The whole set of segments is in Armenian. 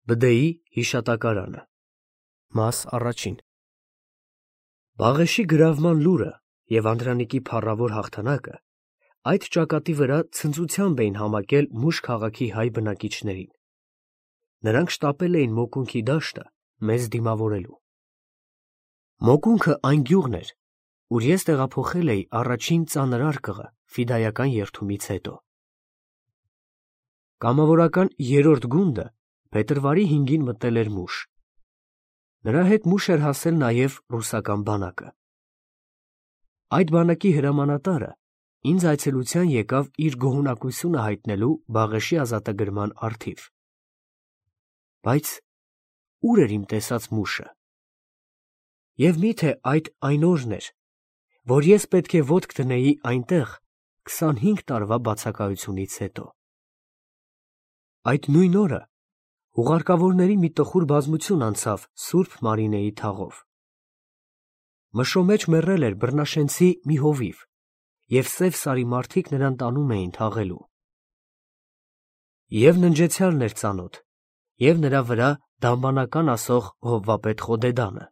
Բդեի հիշատակարանը Մաս առաջին Բաղեշի գրավման լուրը և Անդրանիկի փառավոր հաղթանակը այդ ճակատի վրա ցնծությամբ էին համակել Մուշ քաղաքի հայ բնակիչներին. նրանք շտապել էին Մոկունքի դաշտը մեզ դիմավորելու։ Մոկունքը այն գյուղն էր, ուր ես տեղափոխել էի առաջին ծանր արկղը ֆիդայական երթումից հետո։ Կամավորական երրորդ գունդը փետրվարի 5-ին մտել էր Մուշ։ Նրա հետ Մուշ էր հասել նաև ռուսական բանակը։ Այդ բանակի հրամանատարը ինձ այցելության եկավ իր գոհունակությունը հայտնելու Բաղեշի ազատագրման առթիվ։ Բայց ուր էր իմ տեսած Մուշը։ Եվ միթե այդ այն օրն էր, որ ես պետք է ոտք դնեի այնտեղ 25 տարվա բացակայությունից հետո։ Այդ նույն օրը հուղարկավորների մի տխուր բազմություն անցավ Սուրբ Մարինեի թաղով։ Մշո մեջ մեռել էր բռնաշենցի մի հովիվ, և Սև Սարի մարդիկ նրան տանում էին թաղելու։ Եվ ննջեցյալն էր ծանոթ, և նրա վրա դամբանական ասող հովվապետ Խոդեդանը։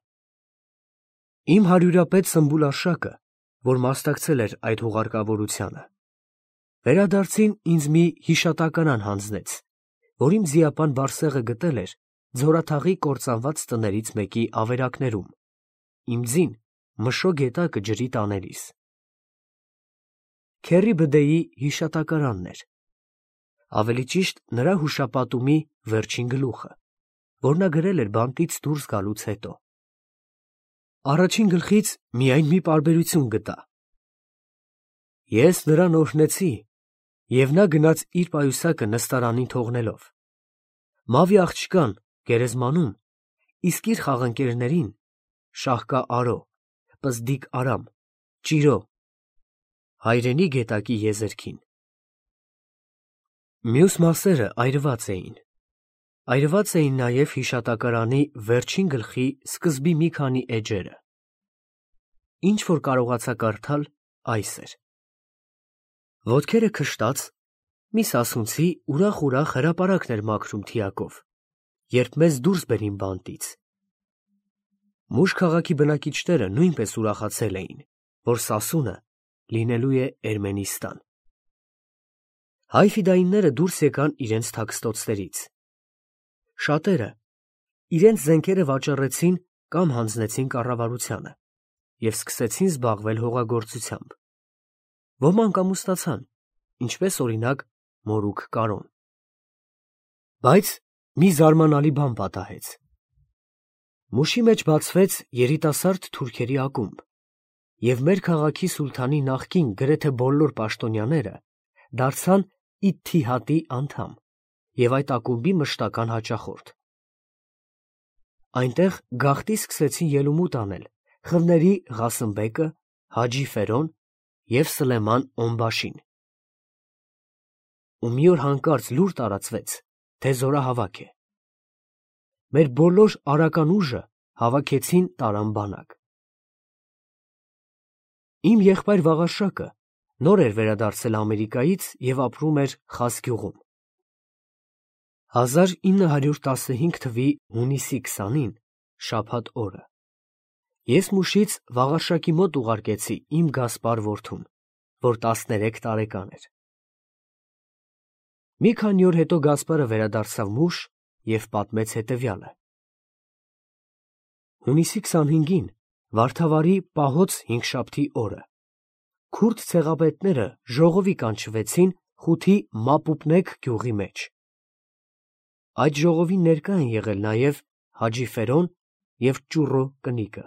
Իմ հարյուրապետ Սմբուլարշակը, որ մասնակցել էր այդ հուղարկավորությանը, վերադարձին ինձ մի հիշատակարան հանձնեց, որ իմ ձիապան Բարսեղը գտել էր Ձորաթաղի կործանված տներից մեկի ավերակներում, իմ ձին Մշո գետակը ջրի տանելիս։ Քեռի Բդեի հիշատակարանն էր, ավելի ճիշտ նրա հուշապատումի վերջին գլուխը, որ նա գրել էր բանտից դուրս գալուց հետո։ Առաջին գլխից միայն մի պարբերություն գտա. ես նրան օրհնեցի, և նա գնաց իր պայուսակը նստարանին թողնելով, Մավի աղջկան գերեզմանում, իսկ իր խաղընկերներին Շահկա Արո, Պզդիկ Արամ, Ճիրո, հայրենի գետակի եզերքին։ Մյուս մասերը այրված էին։ Այրված էին նաև հիշատակարանի վերջին գլխի սկզբի մի քանի էջերը։ Ինչ որ կարողացա կարդալ, այս էր. ոտքերը քշտած, մի սասունցի ուրախ հրապարակն էր մաքրում թիակով, երբ մեզ դուրս բերին բանտից։ Մուշ քաղաքի բնակիչները նույնպես ուրախացել էին, որ սասունը լինելու է Էրմենիստան։ Հայ ֆիդայինները դուրս եկան իրենց թաքստոցներից։ Շատերը իրենց զենքերը վաճառեցին կամ հանձնեցին կառավարությանը և սկսեցին զբաղվել հողագործությամբ։ Ոմանք ամուսնացան, ինչպես օրինակ Մորուք Կարոն։ Բայց մի զարմանալի բան պատահեց։ Մուշի մեջ բացվեց երիտասարդ թուրքերի ակումբ, և մեր քաղաքի սուլթանի նախկին գրեթե բոլոր պաշտոնյաները դարձան Իթթիհադի անդամ և այդ ակումբի մշտական հաճախորդ։ Այնտեղ գաղտնի սկսեցին ելումուտ անել խմների Ղասըմբեկը, Հաջի Ֆերոն և Սլեման Օնբաշին։ Ու մի օր հանկարծ լուր տարածվեց, թե զորահավաք է։ Մեր բոլոր արական ուժը հավաքեցին տարան բանակ։ Իմ եղբայր Վաղարշակը նոր էր վերադարձել Ամերիկայից և ապրում էր Խաս գյուղում։ 1915 թվականի հունիսի 20-ին շաբաթ օրը ես Մուշից Վաղարշակի մոտ ուղարկեցի իմ Գասպար որդուն, որ 13 տարեկան էր։ Մի քանի օր հետո Գասպարը վերադարձավ Մուշ և պատմեց հետևյալը. Հունիսի 25-ին Վարդավառի պահոց հինգշաբթի օրը քուրդ ցեղապետները ժողովի կանչվեցին Խութի Մապուպնեկ գյուղի մեջ։ Այդ ժողովին ներկա են եղել նաև Հաջի Ֆերոն և Ճուռո կնիկը։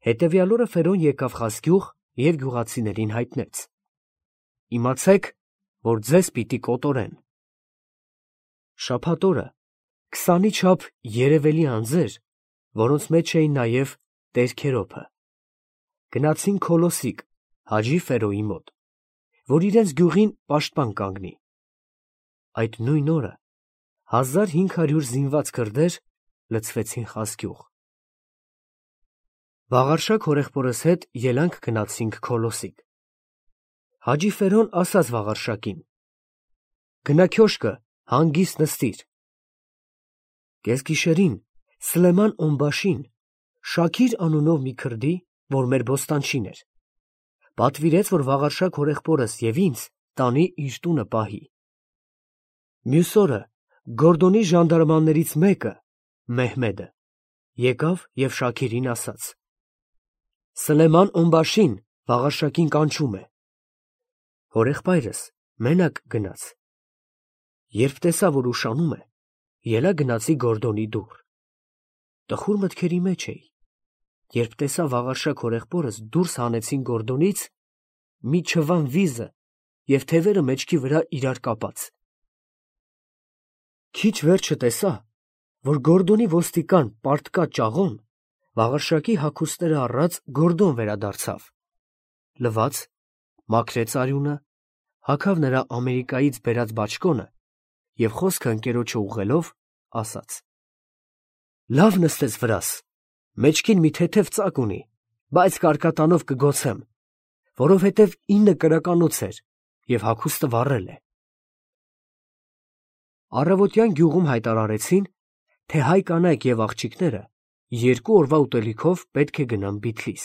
Հետևյալ օրը Ֆերոն եկավ Խաս գյուղ և գյուղացիներին հայտնեց. իմացեք, որ ձեզ պիտի կոտորեն։ Շաբաթ օրը 20-ի չափ երևելի անձեր, որոնց մեջ էին նաև Տեր Քերոբը, գնացին Քոլոսիկ Հաջի Ֆերոյի մոտ, որ իրենց գյուղին պաշտպան կանգնի։ Այդ նույն օրը 1500 զինված քրդեր լցվեցին Խաս գյուղ։ Վաղարշակ հորեղբորս հետ ելանք գնացինք Քոլոսիկ։ Հաջի Ֆերոն ասաց Վաղարշակին. գնա քյոշկը հանգիստ նստիր, Կեսգիշերին Սլեման Օմբաշին, Շաքիր անունով մի քրդի, որ մեր բոստանչին էր, պատվիրեց, որ Վաղարշակ հորեղբորս և ինձ տանի իր տունը պահի։ Մյուս օրը Գորդոնի ժանդարմաններից մեկը, Մեհմեդը, եկավ և Շաքիրին ասաց. Սլեման Օմբաշին Վաղարշակին կանչում է։ Հորեղբայրս մենակ գնաց։ Երբ տեսա, որ ուշանում է, ելա գնացի Գորդոնի դուռ։ Տխուր մտքերի մեջ էի, երբ տեսա Վաղարշակ հորեղբորս դուրս հանեցին Գորդոնից մի չվան վիզը և թևերը մեջքի վրա իրար կապած։ Քիչ վերջը տեսա, որ Գորդոնի ոստիկան Պարտկա Ճաղոն Վաղարշակի հագուստները առած Գորդոն վերադարձավ, լվաց, մաքրեց արյունը, հագավ նրա Ամերիկայից բերած բաճկոնը և խոսքը ընկերոջը ուղղելով ասաց. «Լավ նստեց վրաս, մեջքին մի թեթև ծակ ունի, բայց կարկատանով կգոցեմ, որովհետև 9 կրականոց էր և հագուստը վառել է»։ Առավոտյան գյուղում հայտարարեցին, թե հայ կանայք և աղջիկները 2 օրվա ուտելիքով պետք է գնան Բիթլիս։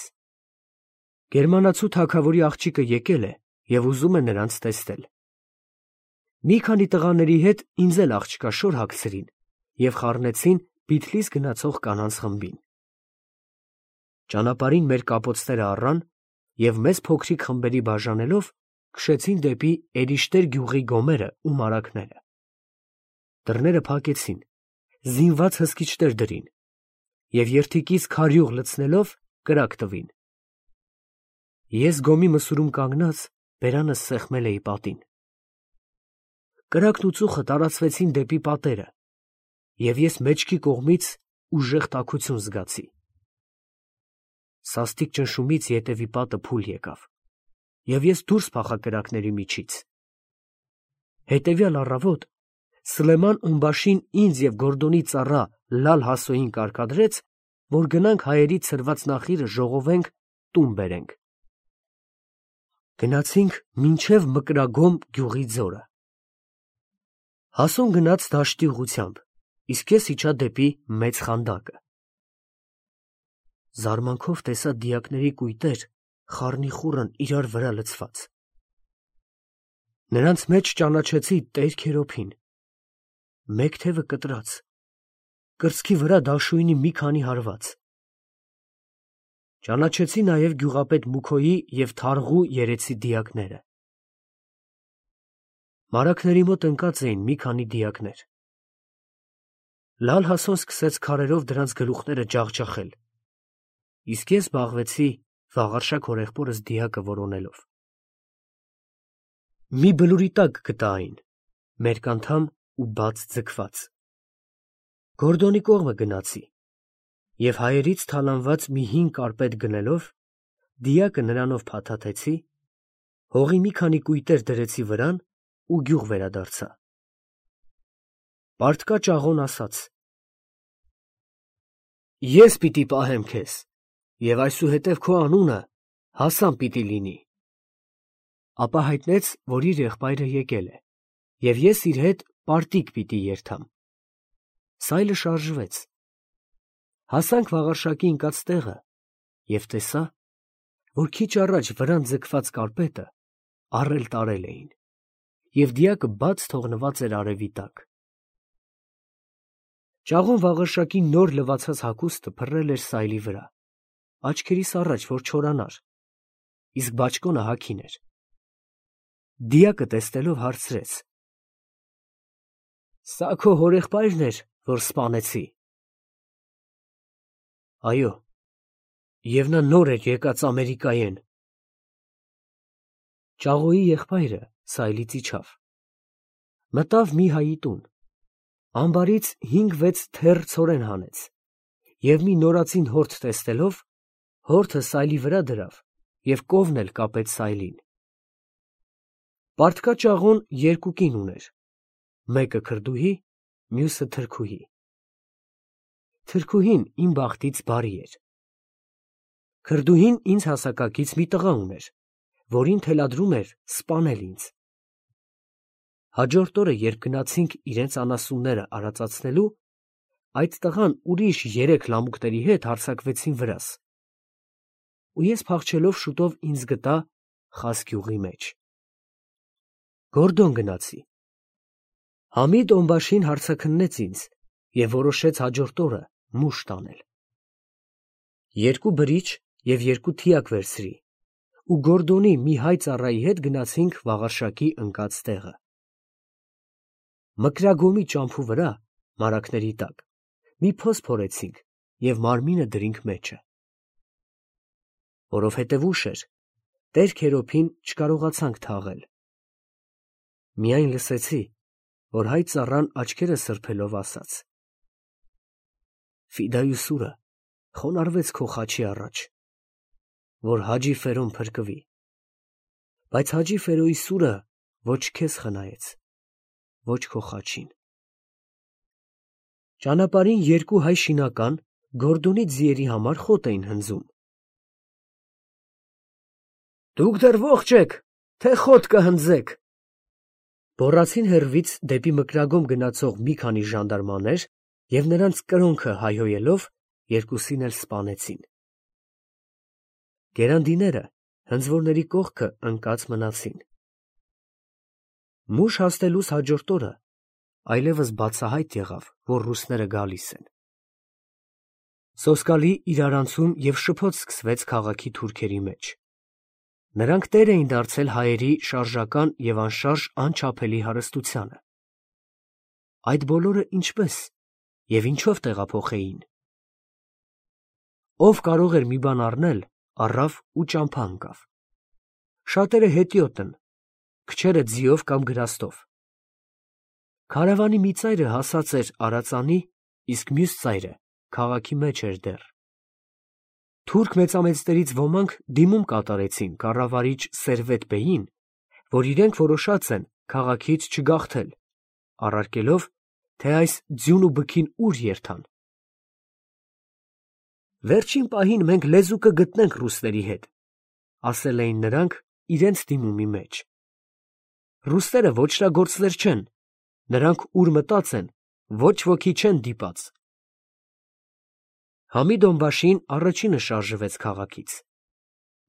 Գերմանացու թագավորի աղջիկը եկել է և ուզում է նրանց տեսնել։ Մի քանի տղաների հետ ինձ էլ աղջկաշոր հագցրին և խառնեցին Բիթլիս գնացող կանանց խմբին։ Ճանապարհին մեր կապոցները առան և մեզ փոքրիկ խմբերի բաժանելով քշեցին դեպի Էրիշտեր գյուղի գոմերը ու մարագները։ Դռները փակեցին, զինված հսկիչներ դրին և երդիկից քարյուղ լցնելով կրակ տվին։ Ես գոմի մսուրում կանգնած բերանս սեղմել էի պատին։ Կրակն ու ծուխը տարածվեցին դեպի պատերը, և ես մեջքի կողմից ուժեղ տաքություն զգացի։ Սաստիկ ճնշումից ետևի պատը փուլ եկավ, և ես դուրս փախա կրակների միջից։ Հետևյալ առավոտ Սլեման Օմբաշին ինձ և Գորդոնի ծառա Լալ Հասոյին կարգադրեց, որ գնանք հայերից ցրված նախիրը ժողովենք, տուն բերենք։ Գնացինք մինչև Մկրագոմ գյուղի ձորը։ Հասոն գնաց դաշտի ուղղությամբ, իսկ ես իջա դեպի Մեծ Խանդակը։ Զարմանքով տեսա դիակների կույտեր խառնիխուռն իրար վրա լցված։ Նրանց մեջ ճանաչեցի Տեր Քերոբին։ Մեկ թևը կտրած, կրծքի վրա դաշույնի մի քանի հարված։ Ճանաչեցի նաև գյուղապետ Մուքոյի և Թարղու երեցի դիակները։ Մարագների մոտ ընկած էին մի քանի դիակներ։ Լալ Հասոն սկսեց քարերով դրանց գլուխները ջախջախել, իսկ ես զբաղվեցի Վաղարշակ հորեղբորս դիակը որոնելով։ Մի բլուրի տակ գտա այն, մերկ անդամ ու բաց ձգված։ Գորդոնի կողմը գնացի և հայերից թալանված մի հին կարպետ գնելով, դիակը նրանով փաթաթեցի, հողի մի քանի կույտեր դրեցի վրան ու գյուղ վերադարձա։ Պարտկա Ճաղոն ասաց. «Ես պիտի պահեմ քեզ, և այսուհետև քո անունը Հասան պիտի լինի»։ Ապա հայտնեց, որ իր եղբայրը եկել է, և ես իր հետ պարտիկ պիտի երթամ։ Սայլը շարժվեց։ Հասանք Վաղարշակի ընկած տեղը և տեսա, որ քիչ առաջ վրան ձգված կարպետը առել֊տարել էին, և դիակը բաց թողնված էր արևի տակ։ Ճաղոն Վաղարշակի նոր լվացած հագուստը փռել էր սայլի վրա, աչքերիս առաջ, որ չորանար, իսկ բաճկոնը հագին էր։ Դիակը տեսնելով հարցրեց. «Սա քո հորեղբայրն էր, որ սպանեցի»։ Այո, և նա նոր էր եկած Ամերիկայեն։ Ճաղոյի եղբայրը սայլից իջավ, մտավ մի հայի տուն, ամբարից 5-6 թեռ ցորեն հանեց և մի նորածին հորդ տեսնելով, հորդը սայլի վրա դրավ և կովն էլ կապեց սայլին։ Պարտկա Ճաղոն 2 կին ուներ, մեկը քրդուհի, մյուսը թրքուհի։ Թրքուհին իմ բախտից բարի էր։ Քրդուհին ինձ հասակակից մի տղա ուներ, որին թելադրում էր սպանել ինձ։ Հաջորդ օրը, երբ գնացինք իրենց անասունները արածացնելու, այդ տղան ուրիշ 3 լամուկների հետ հարձակվեցին վրաս, ու ես փախչելով շուտով ինձ գտա Խասգյուղի մեջ։ Գորդոն գնացի։ Համիդ Օմբաշին հարցաքննեց ինձ և որոշեց հաջորդ օրը մուշ տանել։ 2 բրիչ և 2 թիակ վերցրի ու Գորդոնի մի հայ ծառայի հետ գնացինք Վաղարշակի ընկած տեղը։ Մկրագոմի ճամփու վրա, մարագների տակ, մի փոս փորեցինք և մարմինը դրինք մեջը։ Որովհետև ուշ էր, Տեր Քերոբին չկարողացանք թաղել։ Միայն լսեցի, որ հայ ծառան աչքերը սրբելով ասաց. «Ֆիդայուսուրը խոնարհվեց քո խաչի առաջ, որ Հաջի Ֆերոն փրկվի, բայց Հաջի Ֆերոյի սուրը ոչ քեզ խնայեց, ոչ քո խաչին»։ Ճանապարհին 2 հայ շինական Գորդոնի ձիերի համար խոտ էին հնձում։ «Դուք դեռ ո՞ղջ եք, թե խոտ կհնձեք», գոռացին հեռվից դեպի Մկրագոմ գնացող մի քանի ժանդարմաներ և նրանց կրոնքը հայհոյելով երկուսին էլ սպանեցին։ Գերանդիները հնձվորների կողքը ընկած մնացին։ Մուշ հասնելուս հաջորդ օրը այլևս բացահայտ եղավ, որ ռուսները գալիս են։ Սոսկալի իրարանցում և շփոթ սկսվեց քաղաքի թուրքերի մեջ։ Նրանք տեր էին դարձել հայերի շարժական և անշարժ անչափելի հարստությանը։ Այդ բոլորը ինչպես և ինչով տեղափոխեին։ Ով կարող էր մի բան առնել, առավ ու ճամփա ընկավ։ Շատերը հետիոտ են, քչերը ձիով կամ գրաստով։ Քարավանի մի ծայրը հասած էր Արածանի, իսկ մյուս ծայրը քաղաքի մեջ էր դեռ։ Թուրք մեծամեծներից ոմանք դիմում կատարեցին կառավարիչ Սերվետ֊բեյին, որ իրենք որոշած են քաղաքից չգաղթել, առարկելով, թե այս ձյուն ու բքին ուր երթան։ «Վերջին պահին մենք լեզու կգտնենք ռուսների հետ», ասել էին նրանք իրենց դիմումի մեջ։ Ռուսները ոճրագործներ չեն, նրանք ուր մտած են, ոչ ոքի չեն դիպած։ Համիդ Օմբաշին առաջինը շարժվեց քաղաքից։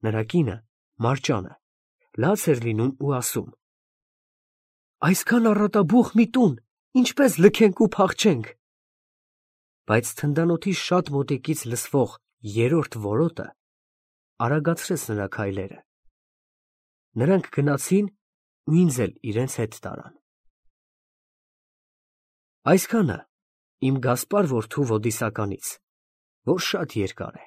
Նրա կինը, Մարճանը, լաց էր լինում ու ասում. «Այսքան առատաբուխ մի տուն, ինչպես լքենք ու փախչենք»։ Բայց թնդանոթի շատ մոտիկից լսվող երրորդ որոտը արագացրեց նրա քայլերը։ Նրանք գնացին ու ինձ էլ իրենց հետ տարան։ Այսքանը իմ Գասպար որդու ոդիսականից, որ շատ երկար է։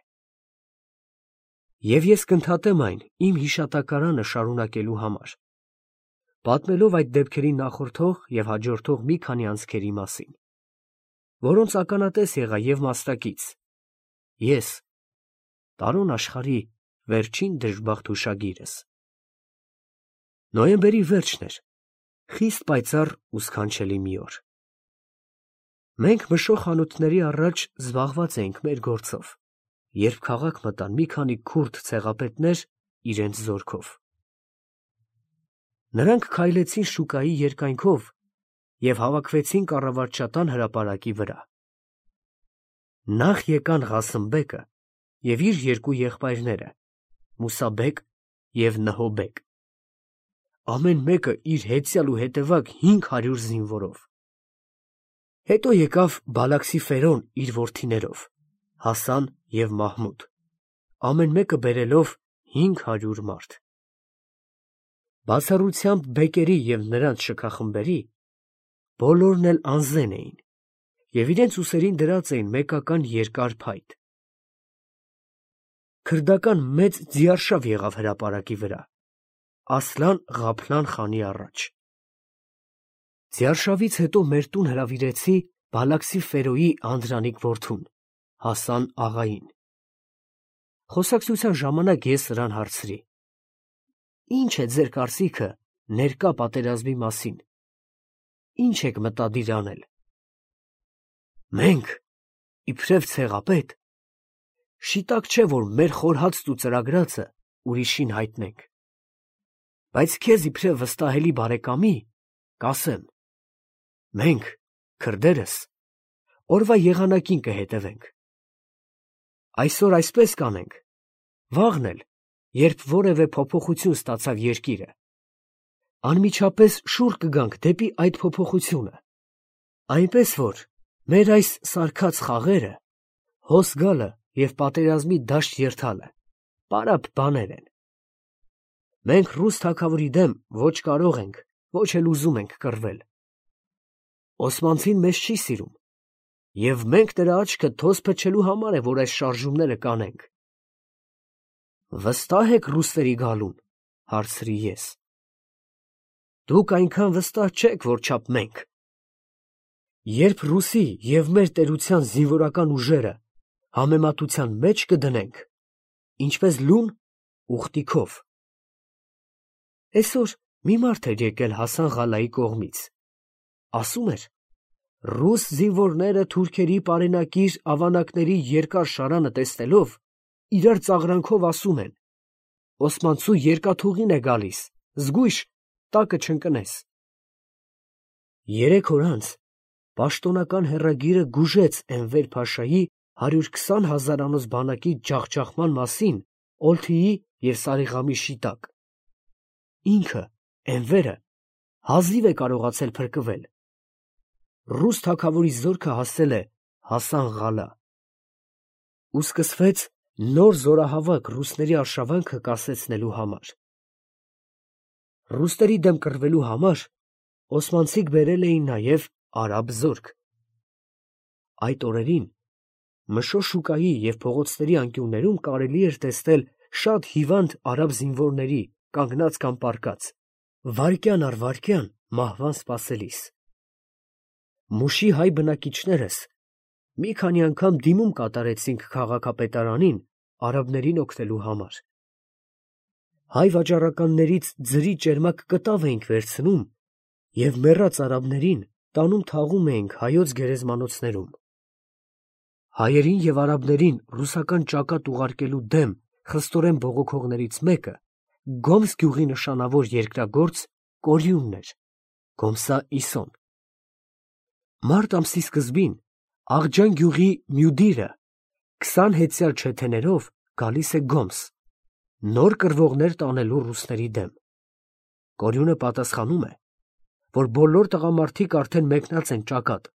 Եվ ես կընդհատեմ այն իմ հիշատակարանը շարունակելու համար, պատմելով այդ դեպքերի նախորդող և հաջորդող մի քանի անցքերի մասին, որոնց ականատես եղա և մասնակից ես, տարուն աշխարհի վերջին դժբախտ հուշագիրս։ Նոյեմբերի վերջն էր, խիստ պայծառ ու սքանչելի մի օր։ Մենք մշող խանութների առաջ զբաղված էինք մեր գործով, երբ քաղաք մտան մի քանի քուրդ ցեղապետներ իրենց զորքով։ Նրանք քայլեցին շուկայի երկայնքով և հավաքվեցին կառավարչական հրապարակի վրա։ Նախ եկան Ղասիմբեկը և իր 2 եղբայրները՝ Մուսաբեկ և Նհոբեկ, ամեն մեկը իր հեծյալ ու հետևակ 500 զինվորով։ Հետո եկավ Բալաքսի Ֆերոն իր որդիներով՝ Հասան և Մահմուդ, ամեն մեկը բերելով 500 մարդ։ Բացառությամբ բեկերի և նրանց շքախմբերի, բոլորն էլ անզեն էին և իրենց ուսերին դրած էին մեկական երկար փայտ։ Քրդական մեծ ձիարշավ եղավ հրապարակի վրա, Ասլան-Ղափլան խանի առաջ։ Ձիարշավից հետո մեր տուն հրավիրեցի Բալաքսի Ֆերոյի անդրանիկ որդուն՝ Հասան աղային։ Խոսակցության ժամանակ ես նրան հարցրի. «Ի՞նչ է ձեր կարծիքը ներկա պատերազմի մասին, ի՞նչ եք մտադիր անել»։ «Մենք, իբրև ցեղապետ, շիտակ չէ, որ մեր խորհածն ու ծրագրածը ուրիշին հայտնենք, բայց քեզ իբրև վստահելի բարեկամի կասեմ. մենք, քրդերս, օրվա եղանակին կհետևենք։ Այսօր այսպես կանենք, վաղն էլ, երբ որևէ փոփոխություն ստացավ երկիրը, անմիջապես շուռ կգանք դեպի այդ փոփոխությունը, այնպես որ մեր այս սարքած խաղերը, հոս գալը և պատերազմի դաշտ երթալը պարապ բաներ են։ Մենք ռուս թագավորի դեմ ոչ կարող ենք, ոչ էլ ուզում ենք կռվել։ Օսմանցին մեզ չի սիրում, և մենք նրա աչքը թոզ փչելու համար է, որ այս շարժումները կանենք։ Վստահ եք ռուսների գալուն, հարցրի ես։ Դուք այնքան վստահ չեք, որչափ մենք։ Երբ Ռուսի և մեր տերության զինվորական ուժերը համեմատության մեջ կդնենք, ինչպես լուն, ուխտիքով։ Այսօր մի մարդ էր եկել Հասան Ղալայի կողմից, ասում էր, ռուս զինվորները թուրքերի պարենակիր ավանակների երկար շարանը տեսնելով, իրար ծաղրանքով ասում են. «Օսմանցու երկաթուղին է գալիս, զգույշ, տակը չընկնես»։ 3 օր անց պաշտոնական հեռագիրը գուժեց Էնվեր Փաշայի 120,000-անոց բանակի ջախջախման մասին Օլթիի և Սարիղամիշի տակ։ Ինքը, Էնվերը, հազիվ է կարողացել փրկվել։ Ռուս թագավորի զորքը հասել է Հասան Ղալա։ Ու սկսվեց նոր զորահավաք ռուսների արշավանքը կասեցնելու համար։ Ռուսների դեմ կռվելու համար օսմանցիք բերել էին նաև արաբ զորք։ Այդ օրերին Մշո շուկայի և փողոցների անկյուններում կարելի էր տեսնել շատ հիվանդ արաբ զինվորների կանգնած կամ պառկած, վայրկյան առ վայրկյան մահվան սպասելիս։ Մուշի հայ բնակիչներս մի քանի անգամ դիմում կատարեցինք քաղաքապետարանին արաբներին օգնելու համար։ Հայ վաճառականներից ձրի ճերմակ կտավ էինք վերցնում և մեռած արաբներին տանում թաղում էինք հայոց գերեզմանոցներում։ Հայերին և արաբներին ռուսական ճակատ ուղարկելու դեմ խստորեն բողոքողներից մեկը Գոմս գյուղի նշանավոր երկրագործ Կորյունն էր, Գոմսա Իսոն։ Մարտ ամսի սկզբին Աղջան գյուղի Մյուդիրը 20 հեծյալ չեթեներով գալիս է Գոմս, նոր կռվողներ տանելու ռուսների դեմ։ Կորյունը պատասխանում է, որ բոլոր տղամարդիկ արդեն մեկնած են ճակատ,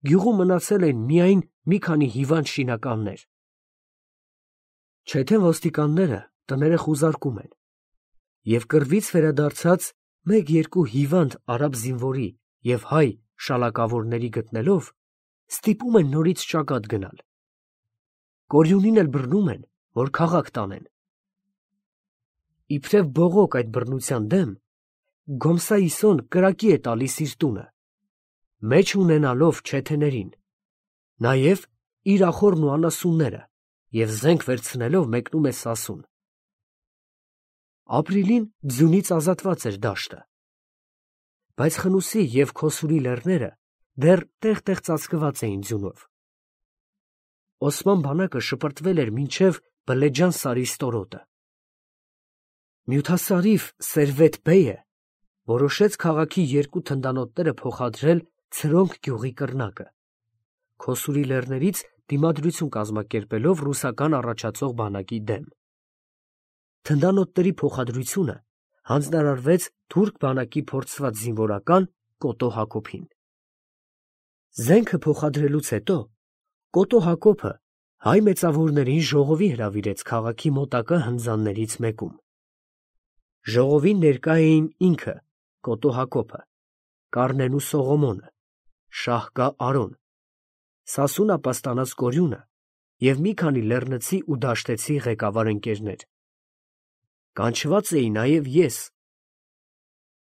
գյուղում մնացել են միայն մի քանի հիվանդ շինականներ։ Չեթեն ոստիկանները տները խուզարկում են, և կռվից վերադարձած 1-2 հիվանդ արաբ զինվորի և հայ շալակավորների գտնելով, ստիպում են նորից ճակատ գնալ։ Կորյունին էլ բռնում են, որ քաղաք տանեն։ Իբրև բողոք այդ բռնության դեմ, Գոմսա Իսոն կրակի է տալիս իր տունը, մեջ ունենալով չեթեներին, նաև իր ախոռն ու անասունները, և զենք վերցնելով մեկնում է Սասուն։ Ապրիլին ձյունից ազատված էր դաշտը, բայց Խնուսի և Քոսուրի լեռները դեռ տեղ-տեղ ծածկված էին ձյունով։ Օսման բանակը շպրտվել էր մինչև Բլեջան սարի ստորոտը։ Մյութասարիվ Սերվետ բեյը որոշեց քաղաքի 2 թնդանոթները փոխադրել Ցրոնք գյուղի կռնակը, Քոսուրի լեռներից դիմադրություն կազմակերպելով ռուսական առաջացող բանակի դեմ։ Թնդանոթների փոխադրությունը հանձնարարվեց թուրք բանակի փորձված զինվորական Կոտո Հակոբին։ Զենքը փոխադրելուց հետո Կոտո Հակոբը հայ մեծավորներին ժողովի հրավիրեց քաղաքի մոտակա հնձաններից մեկում։ Ժողովին ներկա էին ինքը, Կոտո Հակոբը, Կառնեն ու Սողոմոնը, Շահկա Արոն, Սասուն ապաստանած Կորյունը և մի քանի լեռնցի ու դաշտեցի ղեկավար ընկերներ։ Կանչված էի նաև ես։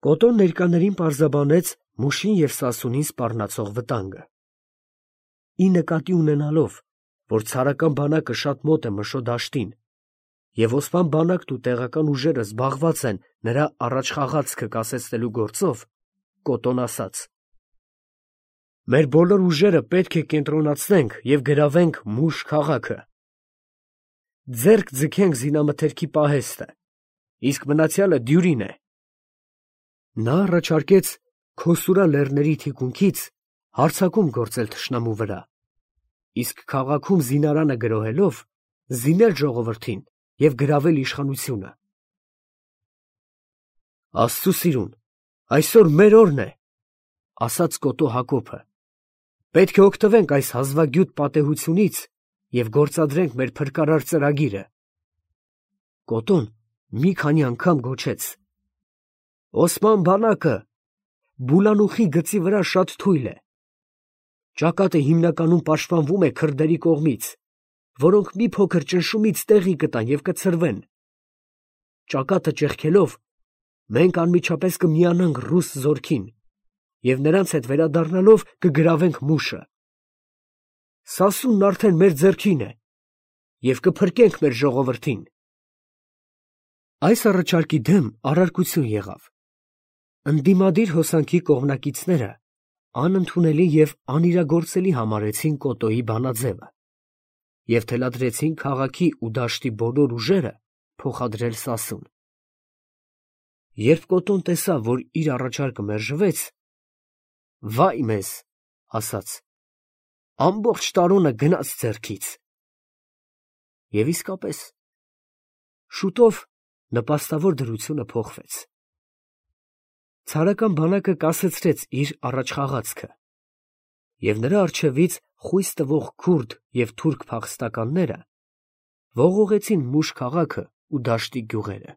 Կոտոն ներկաներին պարզաբանեց Մուշին և Սասունին սպառնացող վտանգը։ Ի նկատի ունենալով, որ ցարական բանակը շատ մոտ է Մշո դաշտին, և Օսման բանակն ու տեղական ուժերը զբաղված են նրա առաջխաղացքը կասեցնելու գործով, Կոտոն ասաց. «Մեր բոլոր ուժերը պետք է կենտրոնացնենք և գրավենք Մուշ քաղաքը։ Ձեռք ձգենք զինամթերքի պահեստը, իսկ մնացյալը դյուրին է»։ Նա առաջարկեց Քոսուրա լեռների թիկունքից հարձակում գործել թշնամու վրա, իսկ քաղաքում զինարանը գրոհելով զինել ժողովրդին և գրավել իշխանությունը։ Աստծու սիրուն, այսօր մեր օրն է, ասաց Կոտո Հակոբը, պետք է օգտվենք այս հազվագյուտ պատեհությունից և գործադրենք մեր փրկարար ծրագիրը։ Կոտոն մի քանի անգամ գոչեց. Օսման բանակը Բուլանուխի գծի վրա շատ թույլ է։ Ճակատը հիմնականում պաշտպանվում է քրդերի կողմից, որոնք մի փոքր ճնշումից տեղի կտան և կցրվեն։ Ճակատը ճեղքելով, մենք անմիջապես կմիանանք ռուս զորքին և նրանց հետ վերադառնալով կգրավենք Մուշը։ Սասունն արդեն մեր ձեռքին է և կփրկենք մեր ժողովրդին։ Այս առաջարկի դեմ առարկություն եղավ։ Ընդդիմադիր հոսանքի կողմնակիցները անընդունելի և անիրագործելի համարեցին Կոտոյի բանաձևը և թելադրեցին քաղաքի ու դաշտի բոլոր ուժերը փոխադրել Սասուն։ Երբ Կոտոն տեսավ, որ իր առաջարկը մերժվեց, վայ մեզ, ասաց, ամբողջ տարօնը գնաց ձեռքից։ Եվ իսկապես, շուտով նպաստավոր դրությունը փոխվեց։ Ցարական բանակը կասեցրեց իր առաջխաղացքը, և նրա առջևից խույս տվող քուրդ և թուրք փախստականները ողողեցին Մուշ քաղաքը ու դաշտի գյուղերը։